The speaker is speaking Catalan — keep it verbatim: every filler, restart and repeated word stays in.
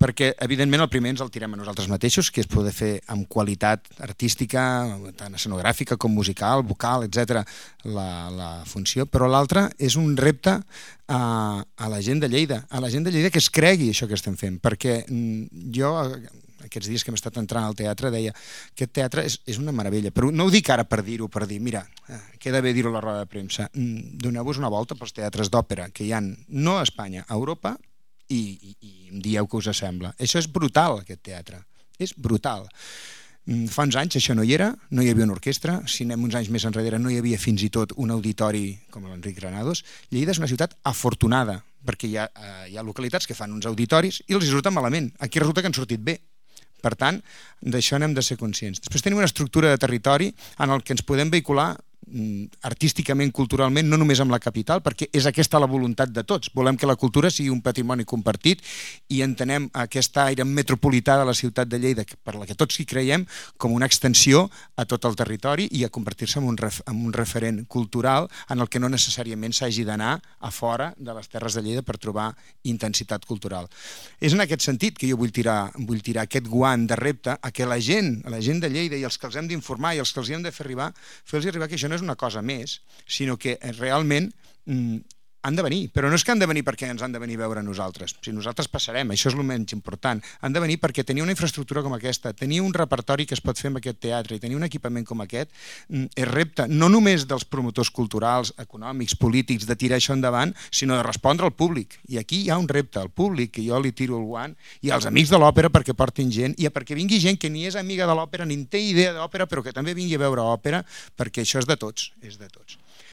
perquè evidentment el primer ens el tirem a nosaltres mateixos, que és poder fer amb qualitat artística, tant escenogràfica com musical, vocal, etcètera, la, la funció, però l'altre és un repte a, a la gent de Lleida, a la gent de Lleida que es cregui això que estem fent, perquè jo aquests dies que hem estat entrant al teatre deia que aquest teatre és, és una meravella, però no ho dic ara per dir-ho, per dir, mira, queda bé dir-ho a la roda de premsa, doneu-vos una volta pels teatres d'òpera que hi ha no a Espanya, a Europa, i, i, i em dieu què us sembla. Això és brutal, aquest teatre, és brutal. Fa uns anys això no hi era, no hi havia una orquestra, si anem uns anys més enrere no hi havia fins i tot un auditori com l'Enric Granados. Lleida és una ciutat afortunada, perquè hi ha, hi ha localitats que fan uns auditoris i els hi surten malament. Aquí resulta que han sortit bé. Per tant, d'això n'hem de ser conscients. Després tenim una estructura de territori en el que ens podem vehicular artísticament, culturalment, no només amb la capital, perquè és aquesta la voluntat de tots. Volem que la cultura sigui un patrimoni compartit i entenem aquest aire metropolità de la ciutat de Lleida, per la que tots hi creiem, com una extensió a tot el territori i a convertir-se en un, ref, en un referent cultural en el que no necessàriament s'hagi d'anar a fora de les terres de Lleida per trobar intensitat cultural. És en aquest sentit que jo vull tirar, vull tirar aquest guant de repte a que la gent, a la gent de Lleida i els que els hem d'informar i els que els hem de fer arribar, fer-los arribar que això no és una cosa més, sinó que realment mm, han de venir, però no és que han de venir perquè ens han de venir a veure nosaltres, si nosaltres passarem, això és el menys important, han de venir perquè tenir una infraestructura com aquesta, tenir un repertori que es pot fer amb aquest teatre i tenir un equipament com aquest mm, és repte no només dels promotors culturals, econòmics, polítics, de tirar això endavant, sinó de respondre al públic, i aquí hi ha un repte al públic, que jo li tiro el guant, i als amics de l'òpera perquè portin gent, i perquè vingui gent que ni és amiga de l'òpera ni en té idea d'òpera, però que també vingui a veure òpera, perquè això és de tots, és de tots.